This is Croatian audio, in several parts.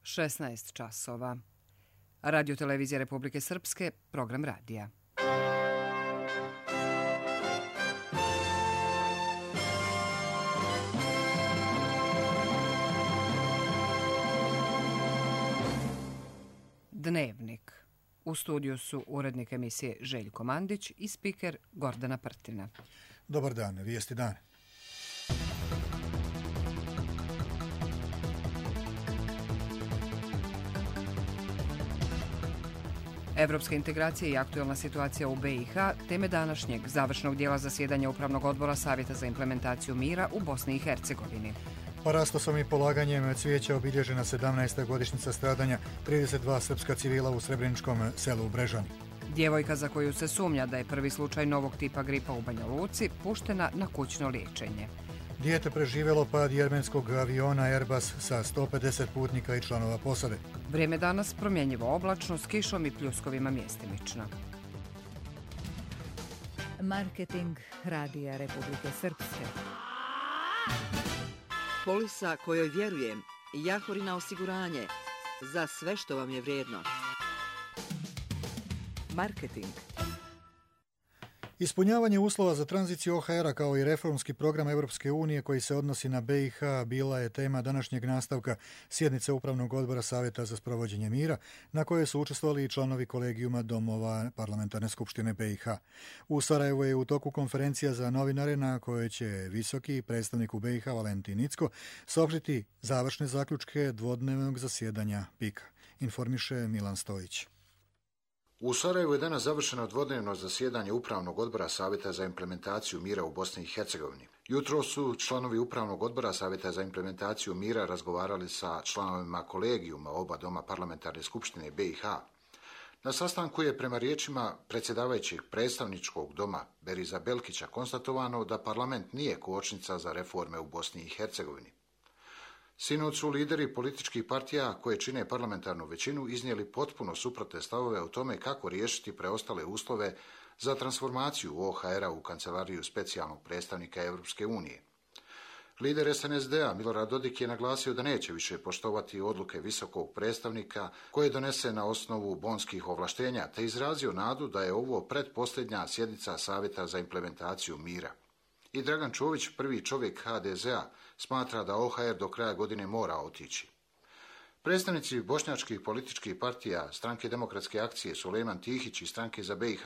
16 časova. Radio Televizija Republike Srpske, program radija. Dnevnik. U studiju su urednik emisije Željko Mandić i spiker Gordana Prtina. Dobar dan, vijesti dan. Evropska integracija i aktuelna situacija u BiH, teme današnjeg završnog dijela zasjedanja Upravnog odbora Savjeta za implementaciju mira u Bosni i Hercegovini. Parastosom i polaganjem cvijeća obilježena 17. godišnjica stradanja 32 srpska civila u srebreničkom selu Brežani. Djevojka za koju se sumnja da je prvi slučaj novog tipa gripa u Banja Luci puštena na kućno liječenje. Dijete preživjelo pad jermenskog aviona Airbus sa 150 putnika i članova posade. Vrijeme danas promjenjivo oblačno s kišom i pljuskovima mjestimično. Marketing Radija Republike Srpske. Polisa kojoj vjerujem, Jahorina osiguranje, za sve što vam je vrijedno. Marketing. Ispunjavanje uslova za tranziciju OHR-a kao i reformski program Europske unije koji se odnosi na BiH bila je tema današnjeg nastavka sjednice Upravnog odbora Savjeta za sprovođenje mira, na kojoj su učestvovali i članovi kolegijuma domova Parlamentarne skupštine BiH. U Sarajevu je u toku konferencija za novinare na kojoj će visoki predstavnik u BiH Valentin Incko saopštiti završne zaključke dvodnevnog zasjedanja PIK-a, informiše Milan Stojić. U Sarajevu je danas završeno dvodnevno zasjedanje Upravnog odbora Savjeta za implementaciju mira u Bosni i Hercegovini. Jutro su članovi Upravnog odbora Savjeta za implementaciju mira razgovarali sa članovima kolegijuma oba doma Parlamentarne skupštine BiH. Na sastanku je prema riječima predsjedavajućeg predstavničkog doma Beriza Belkića konstatovano da parlament nije kočnica za reforme u Bosni i Hercegovini. Sinoć su lideri političkih partija koje čine parlamentarnu većinu iznijeli potpuno suprotne stavove o tome kako riješiti preostale uslove za transformaciju OHR-a u kancelariju specijalnog predstavnika Europske unije. Lider SNSD-a Milorad Dodik je naglasio da neće više poštovati odluke visokog predstavnika koje donese na osnovu bonskih ovlaštenja, te izrazio nadu da je ovo pretposljednja sjednica Savjeta za implementaciju mira. I Dragan Čović, prvi čovjek HDZ-a, smatra da OHR do kraja godine mora otići. Predstavnici bošnjačkih političkih partija, Stranke demokratske akcije Sulejman Tihić i Stranke za BiH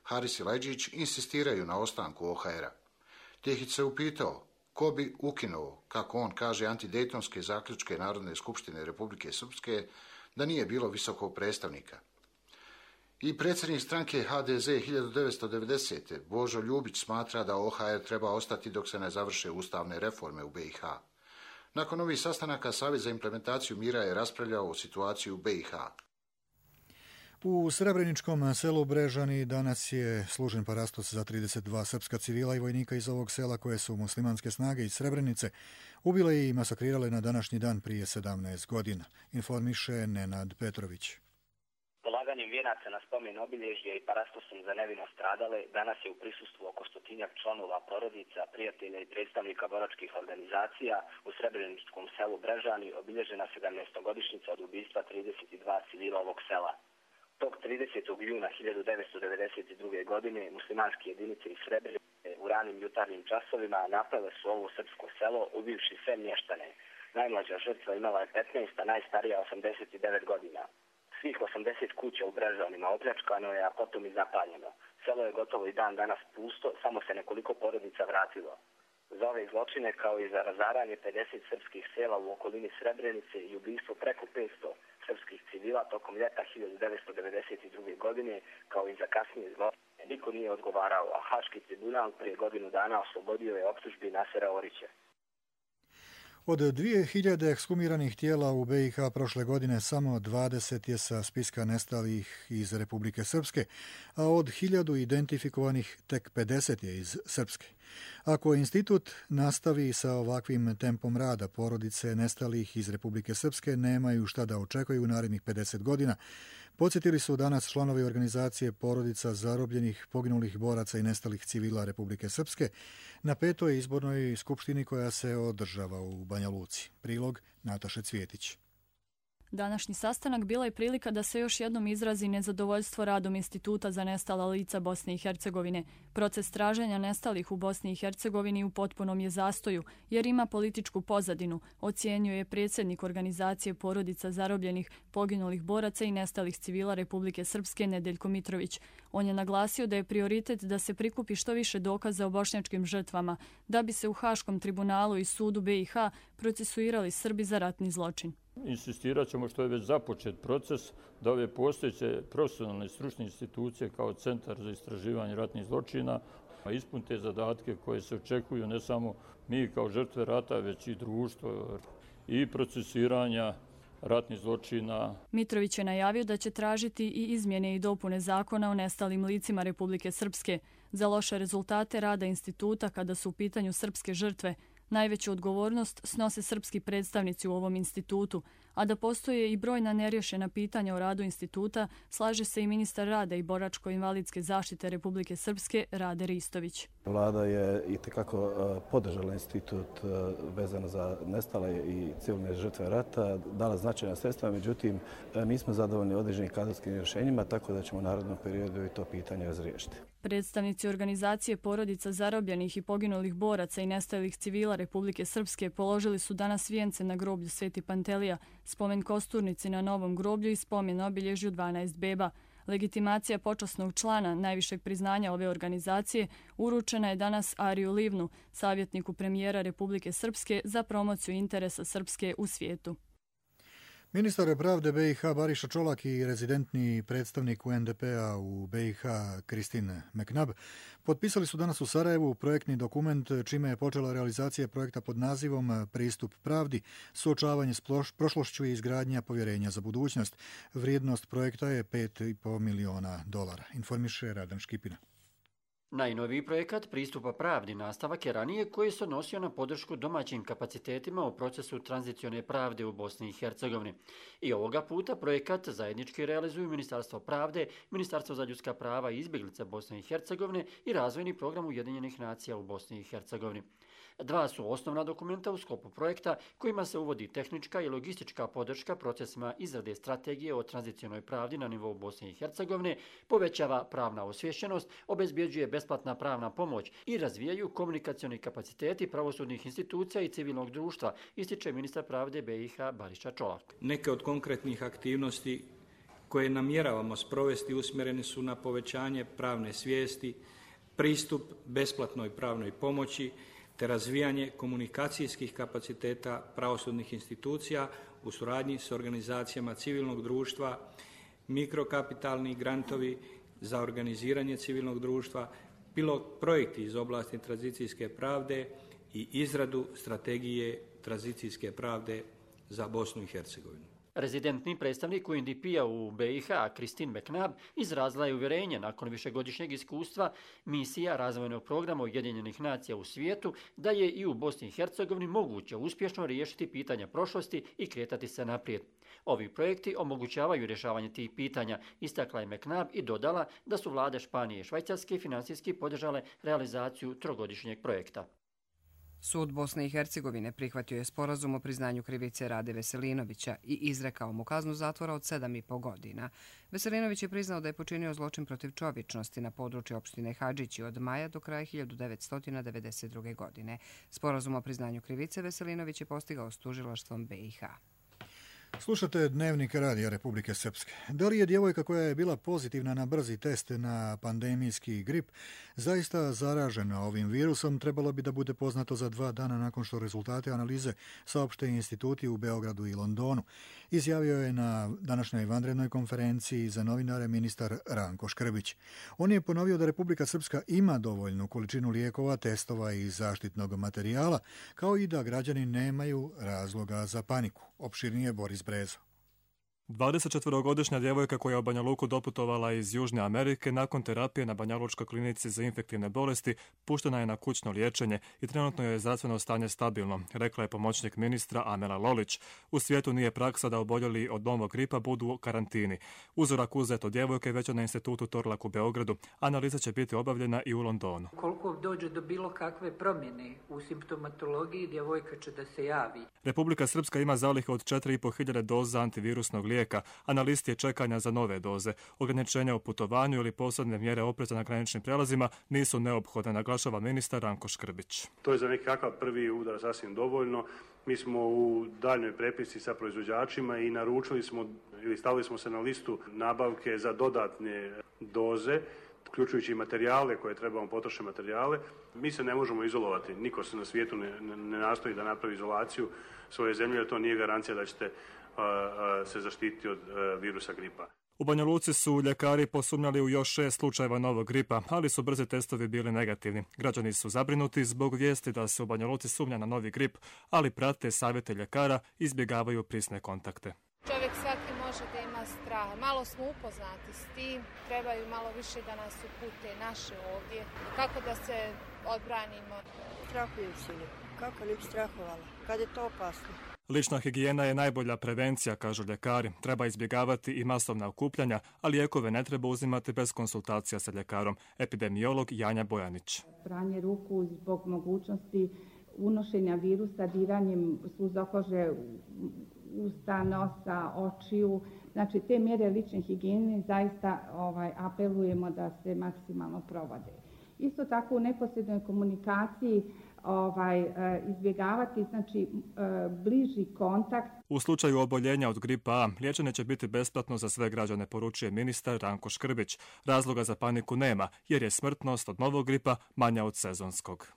Haris Silajdžić insistiraju na ostanku OHR-a. Tihić se upitao ko bi ukinuo, kako on kaže, antidejtonske zaključke Narodne skupštine Republike Srpske da nije bilo visokog predstavnika. I predsjednik stranke HDZ 1990. Božo Ljubić smatra da OHR treba ostati dok se ne završe ustavne reforme u BiH. Nakon ovih sastanaka Savjet za implementaciju mira je raspravljao o situaciji u BiH. U srebreničkom selu Brežani danas je služen parastos za 32 srpska civila i vojnika iz ovog sela koje su muslimanske snage iz Srebrenice ubile i masakrirale na današnji dan prije 17 godina, informiše Nenad Petrović. Polaganjem vijenaca na spomen obilježje i parastosom za nevino stradale danas je u prisustvu oko 100-tinjak članova porodica, prijatelja i predstavnika boračkih organizacija u srebreničkom selu Brežani obilježena 17-godišnjica od ubistva 32 civila ovog sela. Tog 30. juna 1992. godine muslimanske jedinice iz Srebrenice u ranim jutarnjim časovima napale su ovo srpsko selo ubivši sve mještane. Najmlađa žrtva imala je 15, a najstarija 89 godina. Svih 80 kuća u Brežanima opljačkano je, a potom i zapaljeno. Selo je gotovo i dan danas pusto, samo se nekoliko porodica vratilo. Za ove zločine, kao i za razaranje 50 srpskih sela u okolini Srebrenice i ubistvo preko 500 srpskih civila tokom ljeta 1992. godine, kao i za kasnije zločine, niko nije odgovarao, a Haški tribunal prije godinu dana oslobodio je optužbi Nasera Orića. Od 2000 ekshumiranih tijela u BiH prošle godine samo 20 je sa spiska nestalih iz Republike Srpske, a od 1000 identifikovanih tek 50 je iz Srpske. Ako institut nastavi sa ovakvim tempom rada, porodice nestalih iz Republike Srpske nemaju šta da očekuju u narednih 50 godina, podsjetili su danas članovi organizacije porodica zarobljenih, poginulih boraca i nestalih civila Republike Srpske na 5. izbornoj skupštini koja se održava u Banja Luci. Prilog Nataše Cvjetić. Današnji sastanak bila je prilika da se još jednom izrazi nezadovoljstvo radom Instituta za nestala lica Bosne i Hercegovine. Proces traženja nestalih u Bosni i Hercegovini u potpunom je zastoju, jer ima političku pozadinu, ocjenjuje predsjednik organizacije porodica zarobljenih, poginulih boraca i nestalih civila Republike Srpske Nedeljko Mitrović. On je naglasio da je prioritet da se prikupi što više dokaza o bošnjačkim žrtvama, da bi se u Haškom tribunalu i sudu BiH procesuirali Srbi za ratni zločin. Insistirat ćemo, što je već započet proces, da ove postojeće profesionalne i stručne institucije kao Centar za istraživanje ratnih zločina ispunite zadatke koje se očekuju ne samo mi kao žrtve rata, već i društvo i procesiranja ratnih zločina. Mitrović je najavio da će tražiti i izmjene i dopune zakona o nestalim licima Republike Srpske. Za loše rezultate rada instituta kada su u pitanju srpske žrtve, najveću odgovornost snose srpski predstavnici u ovom institutu, a da postoje i brojna nerješena pitanja o radu instituta, slaže se i ministar rada i boračko-invalidske zaštite Republike Srpske Rade Ristović. Vlada je itekako podržala institut vezano za nestale i civilne žrtve rata, dala značajna sredstva, međutim nismo zadovoljni određenim kadrovskim rješenjima, tako da ćemo u narednom periodu i to pitanje razriješiti. Predstavnici organizacije porodica zarobljenih i poginulih boraca i nestalih civila Republike Srpske položili su danas vijence na groblju Sveti Pantelija, spomen kosturnici na novom groblju i spomen obilježju 12 beba. Legitimacija počasnog člana najvišeg priznanja ove organizacije uručena je danas Ariju Livnu, savjetniku premijera Republike Srpske za promociju interesa Srpske u svijetu. Ministar pravde BiH Bariša Čolak i rezidentni predstavnik UNDP-a u BiH Kristin Meknab potpisali su danas u Sarajevu projektni dokument čime je počela realizacija projekta pod nazivom Pristup pravdi, suočavanje s prošlošću i izgradnja povjerenja za budućnost. Vrijednost projekta je $5,5 miliona. Informiše Radan Škipina. Najnoviji projekat Pristupa pravdi nastavak je ranije koji se odnosio na podršku domaćim kapacitetima u procesu tranzicione pravde u Bosni i Hercegovini. I ovoga puta projekat zajednički realizuju Ministarstvo pravde, Ministarstvo za ljudska prava i izbjeglice Bosne i Hercegovine i Razvojni program Ujedinjenih nacija u Bosni i Hercegovini. Dva su osnovna dokumenta u sklopu projekta kojima se uvodi tehnička i logistička podrška procesima izrade strategije o tranzicionoj pravdi na nivou Bosne i Hercegovine, povećava pravna osviješćenost, obezbjeđuje besplatna pravna pomoć i razvijaju komunikacioni kapaciteti pravosudnih institucija i civilnog društva, ističe ministar pravde BiH Bariša Čolak. Neke od konkretnih aktivnosti koje namjeravamo sprovesti usmjerene su na povećanje pravne svijesti, pristup besplatnoj pravnoj pomoći, te razvijanje komunikacijskih kapaciteta pravosudnih institucija u suradnji s organizacijama civilnog društva, mikrokapitalni grantovi za organiziranje civilnog društva, pilot projekti iz oblasti tranzicijske pravde i izradu strategije tranzicijske pravde za Bosnu i Hercegovinu. Rezidentni predstavnik UNDP-a u BiH, Kristin Meknab, izrazila je uvjerenje nakon višegodišnjeg iskustva misija razvojnog programa Ujedinjenih nacija u svijetu da je i u Bosni i Hercegovini moguće uspješno riješiti pitanja prošlosti i kretati se naprijed. Ovi projekti omogućavaju rješavanje tih pitanja, istakla je Meknab i dodala da su vlade Španije i Švajcarske financijski podržale realizaciju trogodišnjeg projekta. Sud Bosne i Hercegovine prihvatio je sporazum o priznanju krivice Rade Veselinovića i izrekao mu kaznu zatvora od 7,5 godina. Veselinović je priznao da je počinio zločin protiv čovječnosti na području opštine Hadžići od maja do kraja 1992. godine. Sporazum o priznanju krivice Veselinović je postigao s tužilaštvom BiH. Slušate Dnevnik Radija Republike Srpske. Da li je djevojka koja je bila pozitivna na brzi test na pandemijski grip zaista zaražena ovim virusom, trebalo bi da bude poznato za 2 dana nakon što rezultate analize saopšte instituti u Beogradu i Londonu. Izjavio je na današnjoj vanrednoj konferenciji za novinare ministar Ranko Škrbić. On je ponovio da Republika Srpska ima dovoljnu količinu lijekova, testova i zaštitnog materijala, kao i da građani nemaju razloga za paniku. Opširnije Boris Brezo. 24-godišnja djevojka koja je u Banja Luku doputovala iz Južne Amerike nakon terapije na Banjalučkoj klinici za infektivne bolesti puštena je na kućno liječenje i trenutno je zdravstveno stanje stabilno, rekla je pomoćnik ministra Amela Lolić. U svijetu nije praksa da oboljeli od novog gripa budu u karantini. Uzorak uzet od djevojke već je na institutu Torlak u Beogradu. Analiza će biti obavljena i u Londonu. Koliko dođe do bilo kakve promjene u simptomatologiji, djevojka će da se javi. Republika Srpska ima zalihe od 4.500 doza antivirusnog lijeka, a na listi je čekanja za nove doze. Ograničenja u putovanju ili posebne mjere opreza na graničnim prijelazima nisu neophodne, naglašava ministar Ranko Škrbić. To je za nekakav prvi udar sasvim dovoljno. Mi smo u daljnjoj prepisci sa proizvođačima i naručili smo ili stavili smo se na listu nabavke za dodatne doze, uključujući i materijale koje trebamo, potrošne materijale. Mi se ne možemo izolovati. Niko se na svijetu ne nastoji da napravi izolaciju svoje zemlje, jer to nije garancija da ćete se zaštititi od virusa gripa. U Banja Luci su ljekari posumnjali u još 6 slučajeva novog gripa, ali su brzi testovi bili negativni. Građani su zabrinuti zbog vijesti da se u Banja Luci sumnja na novi grip, ali prate savjete ljekara i izbjegavaju prisne kontakte. Čovjek svaki može da ima straha. Malo smo upoznati s tim, trebaju malo više da nas upute naše ovdje. Kako da se odbranimo? Strahujem se, kako ne bi strahovala, kad je to opasno. Lična higijena je najbolja prevencija, kažu ljekari. Treba izbjegavati i masovna okupljanja, a lijekove ne treba uzimati bez konsultacija sa ljekarom. Epidemiolog Janja Bojanić. Pranje ruku zbog mogućnosti unošenja virusa diranjem suza kože, usta, nosa, očiju. Znači, te mjere lične higijene zaista apelujemo da se maksimalno provode. Isto tako u neposrednoj komunikaciji izbjegavati bliži kontakt. U slučaju oboljenja od gripa A, liječenje će biti besplatno za sve građane, poručuje ministar Ranko Škrbić. Razloga za paniku nema, jer je smrtnost od novog gripa manja od sezonskog.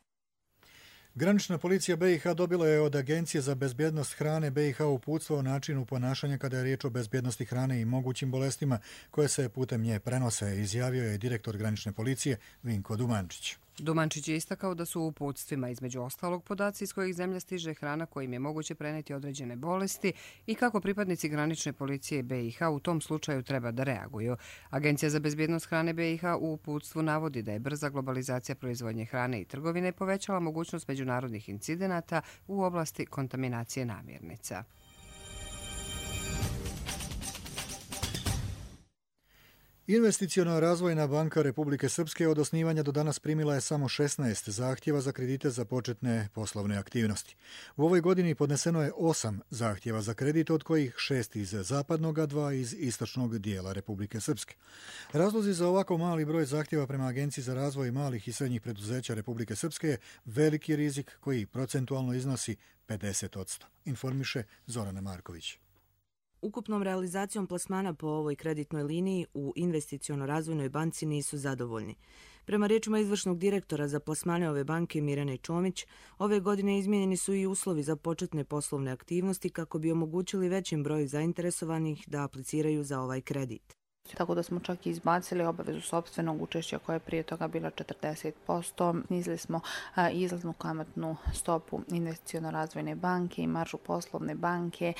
Granična policija BiH dobila je od Agencije za bezbjednost hrane BiH uputstvo o načinu ponašanja kada je riječ o bezbjednosti hrane i mogućim bolestima koje se putem nje prenose, izjavio je direktor granične policije Vinko Dumančić. Dumančić je istakao da su u uputstvima između ostalog podaci iz kojih zemlja stiže hrana kojim je moguće preneti određene bolesti i kako pripadnici granične policije BiH u tom slučaju treba da reaguju. Agencija za bezbjednost hrane BiH u uputstvu navodi da je brza globalizacija proizvodnje hrane i trgovine povećala mogućnost međunarodnih incidenata u oblasti kontaminacije namirnica. Investiciona razvojna banka Republike Srpske od osnivanja do danas primila je samo 16 zahtjeva za kredite za početne poslovne aktivnosti. U ovoj godini podneseno je 8 zahtjeva za kredit, od kojih 6 iz zapadnog, a 2 iz istočnog dijela Republike Srpske. Razlozi za ovako mali broj zahtjeva prema Agenciji za razvoj malih i srednjih preduzeća Republike Srpske je veliki rizik koji procentualno iznosi 50%, informiše Zorana Marković. Ukupnom realizacijom plasmana po ovoj kreditnoj liniji u investiciono-razvojnoj banci nisu zadovoljni. Prema riječima izvršnog direktora za plasmane ove banke Mirjane Čomić, ove godine izmijenjeni su i uslovi za početne poslovne aktivnosti kako bi omogućili većim broju zainteresovanih da apliciraju za ovaj kredit. Tako da smo čak i izbacili obavezu sopstvenog učešća koja je prije toga bila 40%. Snizili smo izlaznu kamatnu stopu investiciono-razvojne banke i maržu poslovne banke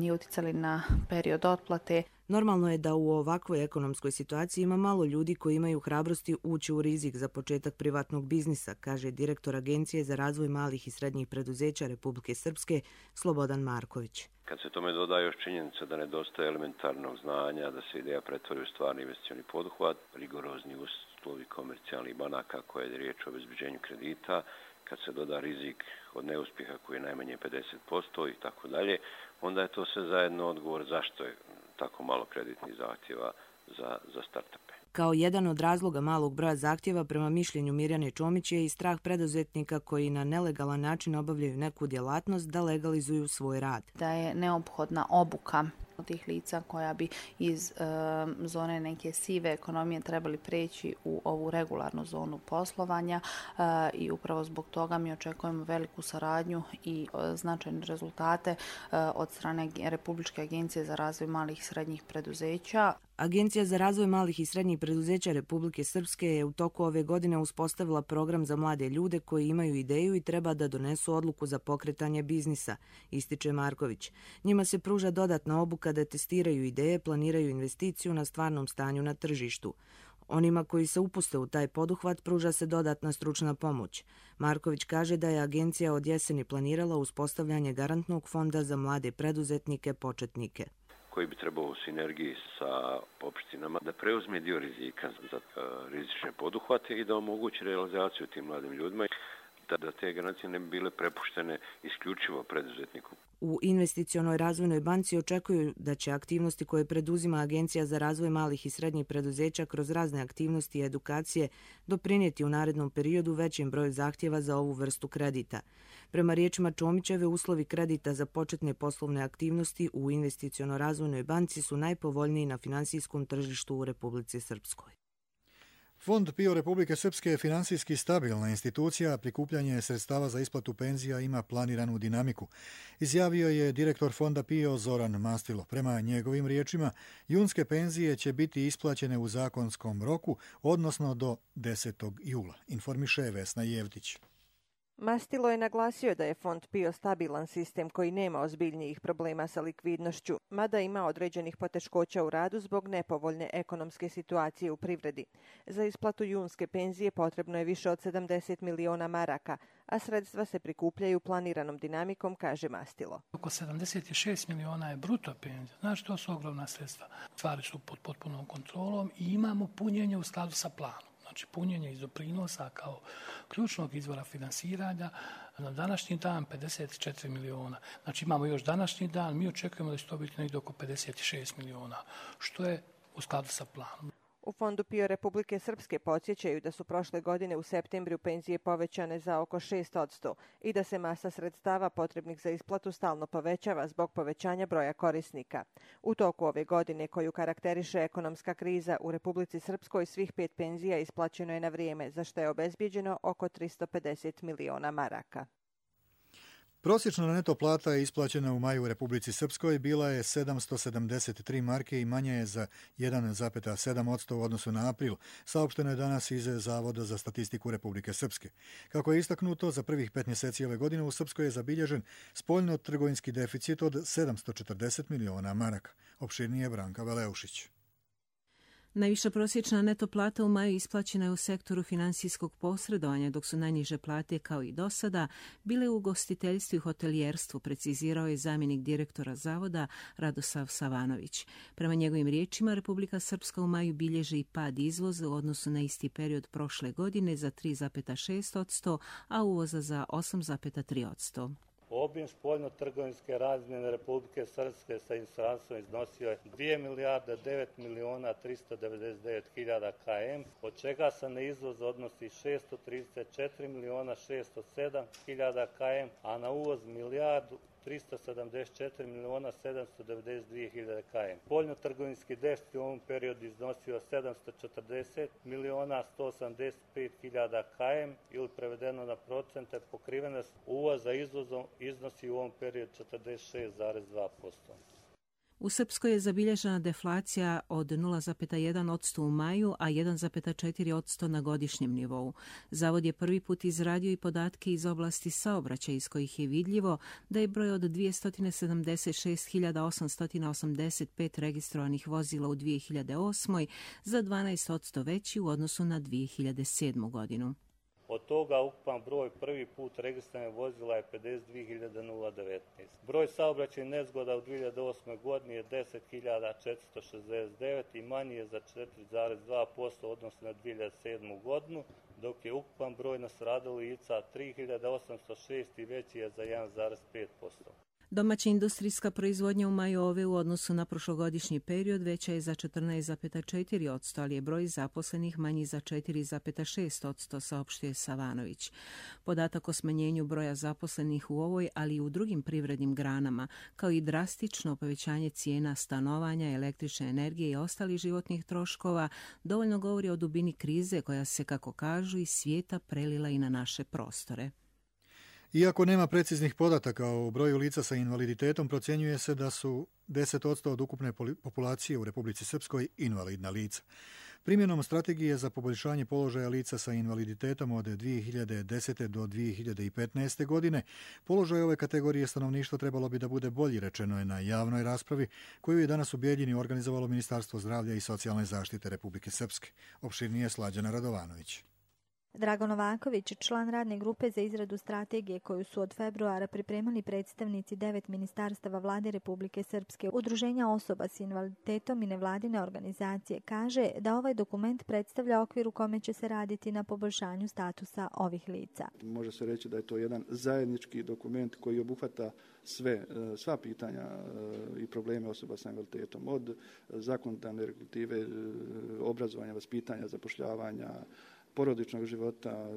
i uticali na period otplate. Normalno je da u ovakvoj ekonomskoj situaciji ima malo ljudi koji imaju hrabrosti ući u rizik za početak privatnog biznisa, kaže direktor Agencije za razvoj malih i srednjih preduzeća Republike Srpske Slobodan Marković. Kad se tome doda još činjenica da nedostaje elementarnog znanja, da se ideja pretvori u stvarni investicioni poduhvat, rigorozni uslovi komercijalnih banaka koje je riječ o obezbeđenju kredita, kad se doda rizik od neuspjeha koji je najmanje 50% i tako dalje, onda je to sve zajedno odgovor zašto je tako malo kreditnih zahtjeva za startupe. Kao jedan od razloga malog broja zahtjeva prema mišljenju Mirjane Čomić je i strah preduzetnika koji na nelegalan način obavljaju neku djelatnost da legalizuju svoj rad. Da je neophodna obuka tih lica koja bi iz zone neke sive ekonomije trebali preći u ovu regularnu zonu poslovanja i upravo zbog toga mi očekujemo veliku saradnju i značajne rezultate od strane Republičke agencije za razvoj malih i srednjih preduzeća. Agencija za razvoj malih i srednjih preduzeća Republike Srpske je u toku ove godine uspostavila program za mlade ljude koji imaju ideju i treba da donesu odluku za pokretanje biznisa, ističe Marković. Njima se pruža dodatna obuka da testiraju ideje, planiraju investiciju na stvarnom stanju na tržištu. Onima koji se upuste u taj poduhvat pruža se dodatna stručna pomoć. Marković kaže da je agencija od jeseni planirala uspostavljanje garantnog fonda za mlade preduzetnike početnike, koji bi trebao u sinergiji sa opštinama da preuzme dio rizika za rizične poduhvate i da omogući realizaciju tim mladim ljudima, da te garancije ne bi bile prepuštene isključivo preduzetniku. U Investicionoj razvojnoj banci očekuju da će aktivnosti koje preduzima Agencija za razvoj malih i srednjih preduzeća kroz razne aktivnosti i edukacije doprinijeti u narednom periodu većim broju zahtjeva za ovu vrstu kredita. Prema riječima Čomićeve, uslovi kredita za početne poslovne aktivnosti u Investicionoj razvojnoj banci su najpovoljniji na finansijskom tržištu u Republici Srpskoj. Fond PIO Republike Srpske je finansijski stabilna institucija, prikupljanje sredstava za isplatu penzija ima planiranu dinamiku. Izjavio je direktor Fonda PIO Zoran Mastilo. Prema njegovim riječima, junske penzije će biti isplaćene u zakonskom roku, odnosno do 10. jula, informiše Vesna Jevdić. Mastilo je naglasio da je Fond PIO stabilan sistem koji nema ozbiljnijih problema sa likvidnošću, mada ima određenih poteškoća u radu zbog nepovoljne ekonomske situacije u privredi. Za isplatu junske penzije potrebno je više od 70 miliona maraka, a sredstva se prikupljaju planiranom dinamikom, kaže Mastilo. Oko 76 miliona je bruto penzija, znači to su ogromna sredstva. Stvari su pod potpunom kontrolom i imamo punjenje u skladu sa planom. Znači punjenje iz doprinosa kao ključnog izvora finansiranja na današnji dan 54 miliona. Znači imamo još današnji dan, mi očekujemo da će to biti negdje oko 56 miliona, što je u skladu sa planom. U Fondu PIO Republike Srpske podsjećaju da su prošle godine u septembru penzije povećane za oko 6% i da se masa sredstava potrebnih za isplatu stalno povećava zbog povećanja broja korisnika. U toku ove godine, koju karakteriše ekonomska kriza, u Republici Srpskoj svih 5 penzija isplaćeno je na vrijeme, za što je obezbijeđeno oko 350 miliona maraka. Prosječna neto plata je isplaćena u maju u Republici Srpskoj bila je 773 marke i manja je za 1,7% u odnosu na april, saopšteno je danas iz Zavoda za statistiku Republike Srpske. Kako je istaknuto, za prvih 5 mjeseci ove godine u Srpskoj je zabilježen spoljno-trgovinski deficit od 740 miliona maraka. Opširnije Branka Veleušić. Najviša prosječna neto plata u maju isplaćena je u sektoru finansijskog posredovanja, dok su najniže plate, kao i do sada, bile u ugostiteljstvu i hotelijerstvu, precizirao je zamjenik direktora Zavoda Radosav Savanović. Prema njegovim riječima, Republika Srpska u maju bilježi i pad izvoza u odnosu na isti period prošle godine za 3,6%, a uvoza za 8,3%. Obim spoljno-trgovinske razmjene Republike Srpske sa inostranstvom iznosio je 2 milijarde 9 miliona 399 hiljada km, od čega se na izvoz odnosi 634 miliona 607 hiljada km, a na uvoz milijardu 374 miliona 792 hiljade km. Spoljno-trgovinski deficit u ovom periodu iznosio 740 miliona 185 hiljada km ili prevedeno na procente pokrivenost uvoza izvozom iznosi u ovom periodu 46,2%. U Srpskoj je zabilježena deflacija od 0,1% u maju, a 1,4% na godišnjem nivou. Zavod je prvi put izradio i podatke iz oblasti saobraćaja, iz kojih je vidljivo da je broj od 276.885 registrovanih vozila u 2008. za 12% veći u odnosu na 2007. godinu. Od toga ukupan broj prvi put registriranih vozila je 52.019. Broj saobraćajnih nezgoda u 2008. godini je 10.469 i manji je za 4,2% odnosno na 2007. godinu, dok je ukupan broj nastradalih lica 3.806 i veći je za 1,5%. Domaća industrijska proizvodnja u maju ove u odnosu na prošlogodišnji period veća je za 14,4%, ali je broj zaposlenih manji za 4,6%, saopštio Savanović. Podatak o smanjenju broja zaposlenih u ovoj, ali i u drugim privrednim granama, kao i drastično povećanje cijena stanovanja, električne energije i ostalih životnih troškova, dovoljno govori o dubini krize koja se, kako kažu, iz svijeta prelila i na naše prostore. Iako nema preciznih podataka o broju lica sa invaliditetom, procjenjuje se da su 10% od ukupne populacije u Republici Srpskoj invalidna lica. Primjenom strategije za poboljšanje položaja lica sa invaliditetom od 2010. do 2015. godine, položaj ove kategorije stanovništva trebalo bi da bude bolji, rečeno je na javnoj raspravi koju je danas u Bijeljini organizovalo Ministarstvo zdravlja i socijalne zaštite Republike Srpske. Opširnije Slađana Radovanović. Drago Novaković, član radne grupe za izradu strategije koju su od februara pripremali predstavnici 9 ministarstava vlade Republike Srpske, udruženja osoba s invaliditetom i nevladine organizacije, kaže da ovaj dokument predstavlja okvir u kome će se raditi na poboljšanju statusa ovih lica. Može se reći da je to jedan zajednički dokument koji obuhvata sva pitanja i probleme osoba sa invaliditetom, od zakonodavne regulative, obrazovanja, vaspitanja, zapošljavanja, porodičnog života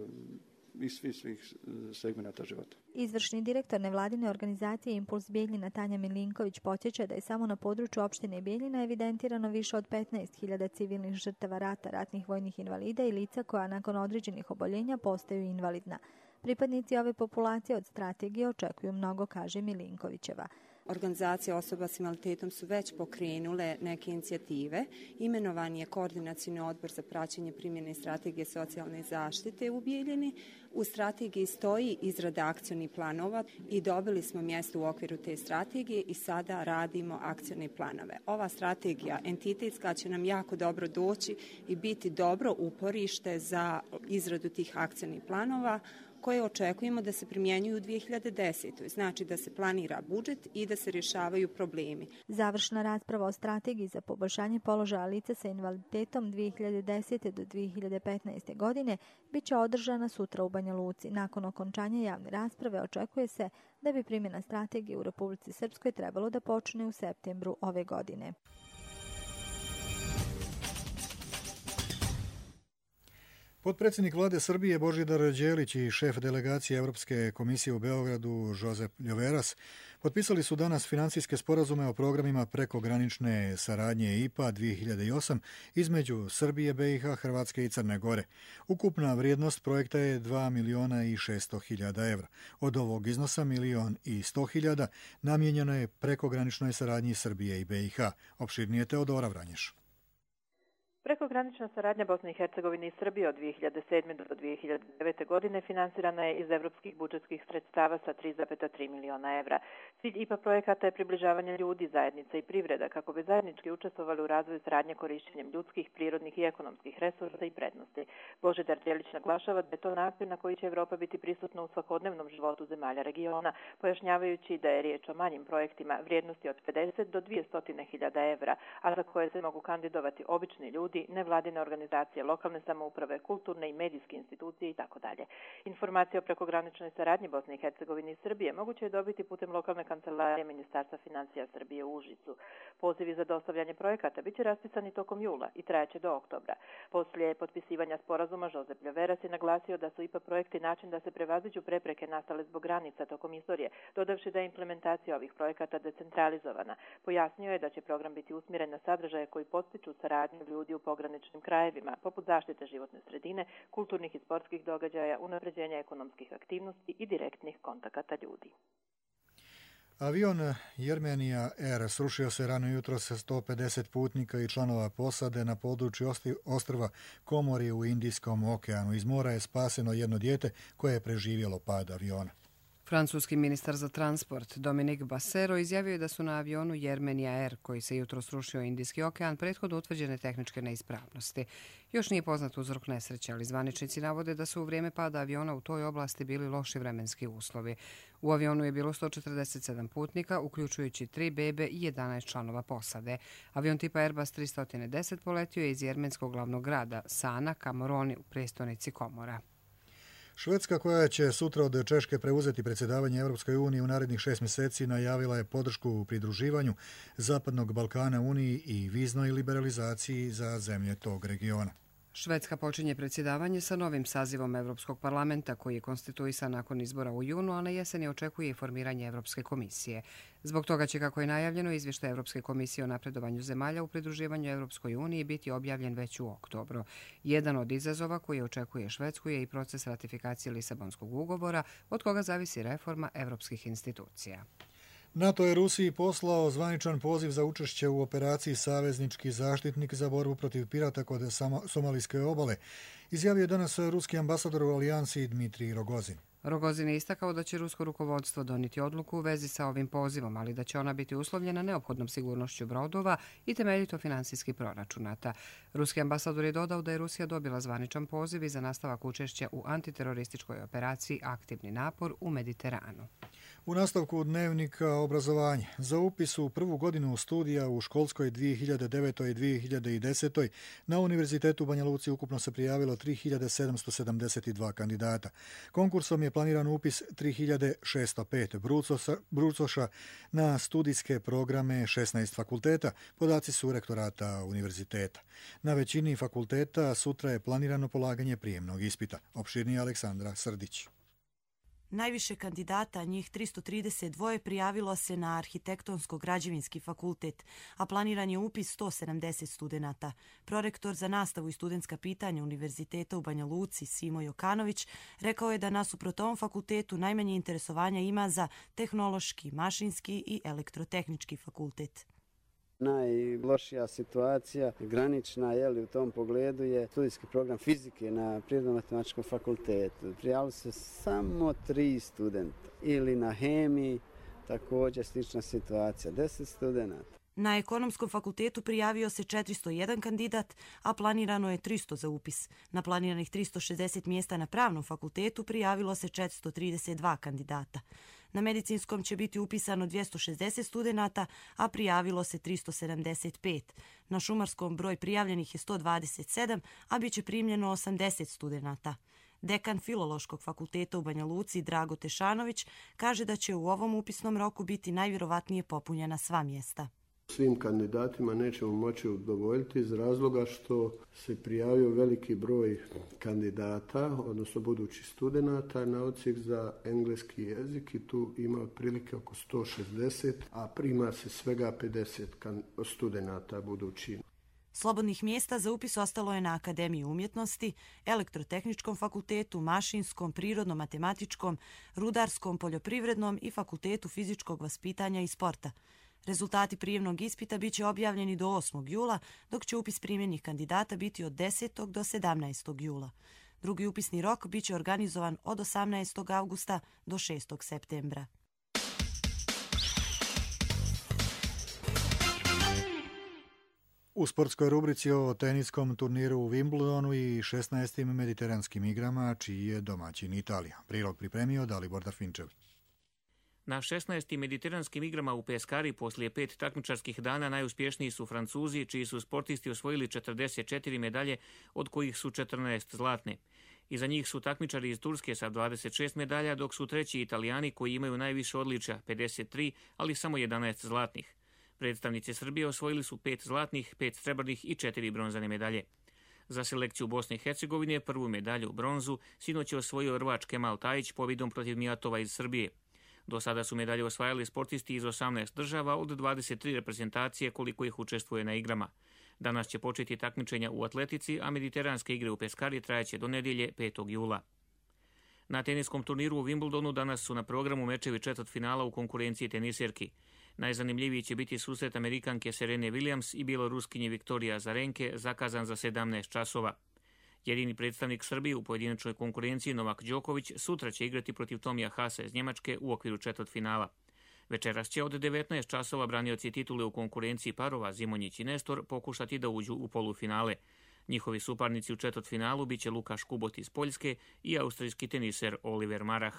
i svih segmenata života. Izvršni direktor nevladine organizacije Impuls Bijeljina Tanja Milinković podsjeća da je samo na području opštine Bijeljina evidentirano više od 15.000 civilnih žrtava rata, ratnih vojnih invalida i lica koja nakon određenih oboljenja postaju invalidna. Pripadnici ove populacije od strategije očekuju mnogo, kaže Milinkovićeva. Organizacije osoba s invaliditetom su već pokrenule neke inicijative. Imenovan je koordinacioni odbor za praćenje primjene strategije socijalne zaštite u Bijeljini. U strategiji stoji izrada akcionih planova i dobili smo mjesto u okviru te strategije i sada radimo akcione planove. Ova strategija entitetska će nam jako dobro doći i biti dobro uporište za izradu tih akcionih planova koje očekujemo da se primjenjuju u 2010. Znači da se planira budžet i da se rješavaju problemi. Završna rasprava o strategiji za poboljšanje položaja lica sa invaliditetom 2010. do 2015. godine bit će održana sutra u Banja Luci. Nakon okončanja javne rasprave očekuje se da bi primjena strategije u Republici Srpskoj trebalo da počne u septembru ove godine. Potpredsjednik vlade Srbije Božidar Đelić i šef delegacije Europske komisije u Beogradu Josep Ljoveras potpisali su danas financijske sporazume o programima prekogranične saradnje IPA 2008 između Srbije, BiH, Hrvatske i Crne Gore. Ukupna vrijednost projekta je 2.600.000 evra. Od ovog iznosa 1.100.000 namijenjeno je prekograničnoj saradnji Srbije i BiH. Opširnije Teodora Vranješ. Prekogranična saradnja Bosne i Hercegovine i Srbije od 2007. do 2009. godine finansirana je iz evropskih budžetskih sredstava sa 3,3 miliona evra. Cilj IPA projekata je približavanje ljudi, zajednica i privreda kako bi zajednički učestvovali u razvoju saradnje korišćenjem ljudskih, prirodnih i ekonomskih resursa i prednosti. Božidar Đelić naglašava da je to način na koji će Evropa biti prisutna u svakodnevnom životu zemalja regiona, pojašnjavajući da je riječ o manjim projektima vrijednosti od 50 do 200.000 evra, a za koje se mogu kandidovati obični ljudi, nevladine organizacije, lokalne samouprave, kulturne i medijske institucije itd. Informacije o prekograničnoj saradnji Bosne i Hercegovine i Srbije moguće je dobiti putem lokalne kancelarije Ministarstva financija Srbije u Užicu. Pozivi za dostavljanje projekata biće raspisani tokom jula i trajaće do oktobra. Poslije potpisivanja sporazuma Josep Ljoveras je naglasio da su IPA projekti način da se prevaziđu prepreke nastale zbog granica tokom istorije, dodavši da je implementacija ovih projekata decentralizovana. Pojasnio je da će program biti usmjeren na sadržaje koji podstiču saradnju ljudi u pograničnim krajevima, poput zaštite životne sredine, kulturnih i sportskih događaja, unapređenja ekonomskih aktivnosti i direktnih kontakata ljudi. Avion Jermenija Air srušio se rano jutro sa 150 putnika i članova posade na području ostrva Komori u Indijskom okeanu. Iz mora je spaseno jedno dijete koje je preživjelo pad aviona. Francuski ministar za transport Dominique Bassero izjavio je da su na avionu Jermenija Air, koji se jutro srušio Indijski okean, prethodno utvrđene tehničke neispravnosti. Još nije poznat uzrok nesreće, ali zvaničnici navode da su u vrijeme pada aviona u toj oblasti bili loši vremenski uslovi. U avionu je bilo 147 putnika, uključujući 3 bebe i 11 članova posade. Avion tipa Airbus 310 poletio je iz jermenskog glavnog grada Sana ka Moroni u prestonici Komora. Švedska, koja će sutra od Češke preuzeti predsjedavanje Europskoj uniji u narednih 6 mjeseci, najavila je podršku u pridruživanju Zapadnog Balkana Uniji i viznoj liberalizaciji za zemlje tog regiona. Švedska počinje predsjedavanje sa novim sazivom Europskog parlamenta koji je konstituisan nakon izbora u junu, a na jeseni očekuje i formiranje Europske komisije. Zbog toga će, kako je najavljeno, izvještaj Europske komisije o napredovanju zemalja u pridruživanju Europskoj uniji biti objavljen već u oktobru. Jedan od izazova koji očekuje Švedsku je i proces ratifikacije Lisabonskog ugovora, od koga zavisi reforma europskih institucija. NATO je Rusiji poslao zvaničan poziv za učešće u operaciji Saveznički zaštitnik za borbu protiv pirata kod Somalijske obale, izjavio je danas ruski ambasador u alijansi Dmitrij Rogozin. Rogozin je istakao da će rusko rukovodstvo donijeti odluku u vezi sa ovim pozivom, ali da će ona biti uslovljena neophodnom sigurnošću brodova i temeljito financijski proračunata. Ruski ambasador je dodao da je Rusija dobila zvaničan poziv i za nastavak učešća u antiterorističkoj operaciji Aktivni napor u Mediteranu. U nastavku dnevnika obrazovanja za upis u prvu godinu studija u školskoj 2009. i 2010. na Univerzitetu u Banja Luci ukupno se prijavilo 3772 kandidata. Konkursom je planiran upis 3605 brucoša na studijske programe 16 fakulteta, podaci su rektorata univerziteta. Na većini fakulteta sutra je planirano polaganje prijemnog ispita. Opširnije Aleksandra Srdić. Najviše kandidata, njih 332, prijavilo se na Arhitektonsko-građevinski fakultet, a planiran je upis 170 studenata. Prorektor za nastavu i studentska pitanja Univerziteta u Banja Luci, Simo Jokanović, rekao je da nasuprot ovom fakultetu najmanje interesovanja ima za tehnološki, mašinski i elektrotehnički fakultet. Najlošija situacija, granična u tom pogledu, je studijski program fizike na Prirodno-matematičkom fakultetu. Prijavili se samo 3 studenta. Ili na hemiji, također slična situacija, 10 studenta. Na Ekonomskom fakultetu prijavio se 401 kandidat, a planirano je 300 za upis. Na planiranih 360 mjesta na Pravnom fakultetu prijavilo se 432 kandidata. Na Medicinskom će biti upisano 260 studenata, a prijavilo se 375. Na Šumarskom broj prijavljenih je 127, a bit će primljeno 80 studenata. Dekan Filološkog fakulteta u Banja Luci, Drago Tešanović, kaže da će u ovom upisnom roku biti najvjerovatnije popunjena sva mjesta. Svim kandidatima nećemo moći udovoljiti iz razloga što se prijavio veliki broj kandidata, odnosno budućih studenata na odsjek za engleski jezik i tu ima otprilike oko 160, a prima se svega 50 studenata budući. Slobodnih mjesta za upis ostalo je na Akademiji umjetnosti, Elektrotehničkom fakultetu, Mašinskom, Prirodno-matematičkom, Rudarskom, Poljoprivrednom i Fakultetu fizičkog vaspitanja i sporta. Rezultati prijemnog ispita bit će objavljeni do 8. jula, dok će upis primljenih kandidata biti od 10. do 17. jula. Drugi upisni rok bit će organizovan od 18. augusta do 6. septembra. U sportskoj rubrici o teniskom turniru u Wimbledonu i 16. mediteranskim igrama, čiji je domaćin Italija. Prilog pripremio Dalibor Darfinčev. Na 16. mediteranskim igrama u Peskari poslije 5 takmičarskih dana najuspješniji su Francuzi, čiji su sportisti osvojili 44 medalje, od kojih su 14 zlatne. Iza njih su takmičari iz Turske sa 26 medalja, dok su treći Italijani koji imaju najviše odličja, 53, ali samo 11 zlatnih. Predstavnici Srbije osvojili su 5 zlatnih, 5 srebrnih i 4 bronzane medalje. Za selekciju Bosne i Hercegovine prvu medalju, bronzu, sinoć je osvojio Rvač Kemal Tajić pobjedom protiv Mijatova iz Srbije. Do sada su medalje osvajali sportisti iz 18 država od 23 reprezentacije koliko ih učestvuje na igrama. Danas će početi takmičenja u atletici, a mediteranske igre u Peskari trajaće do nedjelje 5. jula. Na teniskom turniru u Wimbledonu danas su na programu mečevi četvrtfinala u konkurenciji tenisirki. Najzanimljiviji će biti susret Amerikanke Serene Williams i bjeloruskinje Viktorija Azarenke, zakazan za 17 časova. Jedini predstavnik Srbije u pojedinačnoj konkurenciji Novak Đoković sutra će igrati protiv Tomija Hasa iz Njemačke u okviru četvrtfinala. Večeras će od 19 časova branioci titule u konkurenciji parova Zimonjić i Nestor pokušati da uđu u polufinale. Njihovi suparnici u četvrtfinalu biće Lukaš Kubot iz Poljske i austrijski teniser Oliver Marah.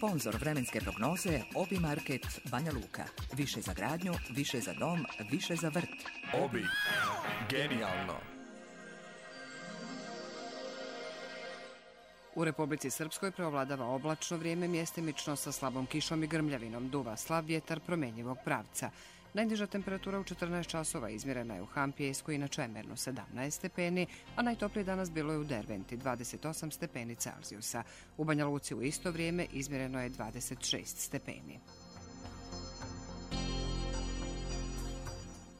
Sponzor vremenske prognoze Obi Market Banja Luka. Više za gradnju, više za dom, više za vrt. Obi. Genijalno. U Republici Srpskoj preovladava oblačno vrijeme, mjestimično sa slabom kišom i grmljavinom, duva slab vjetar promenjivog pravca. Najniža temperatura u 14 časova izmjerena je u Hampijejsku i na Čemernu 17 stepeni, a najtoplije danas bilo je u Derventi 28 stepeni Celzijusa. U Banja Luci u isto vrijeme izmjereno je 26 stepeni.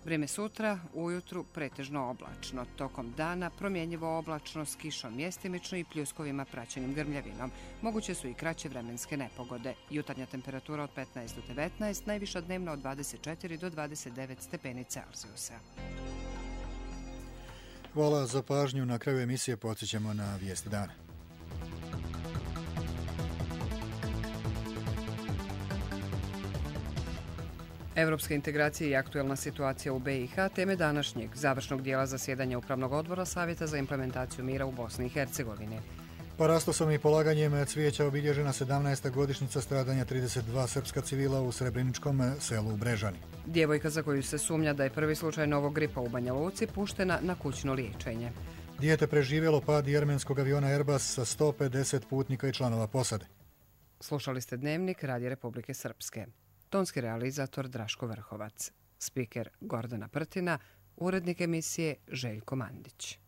Vrijeme sutra, ujutru pretežno oblačno, tokom dana promjenjivo oblačno s kišom mjestimično i pljuskovima praćenim grmljavinom. Moguće su i kraće vremenske nepogode. Jutarnja temperatura od 15 do 19, najviša dnevna od 24 do 29 stepeni Celzijusa. Hvala za pažnju. Na kraju emisije podsjećamo na vijest dana. Evropske integracije i aktuelna situacija u BiH teme današnjeg završnog dijela zasjedanja Upravnog odbora Savjeta za implementaciju mira u Bosni i Hercegovini. Parastosom i polaganjem cvijeća obilježena 17. godišnjica stradanja 32 srpska civila u srebreničkom selu Brežani. Djevojka za koju se sumnja da je prvi slučaj novog gripa u Banja Luci puštena na kućno liječenje. Dijete preživjelo pad jermenskog aviona Airbus sa 150 putnika i članova posade. Slušali ste Dnevnik Radija Republike Srpske. Tonski realizator Draško Vrhovac. Spiker Gordana Prtina. Urednik emisije Željko Mandić.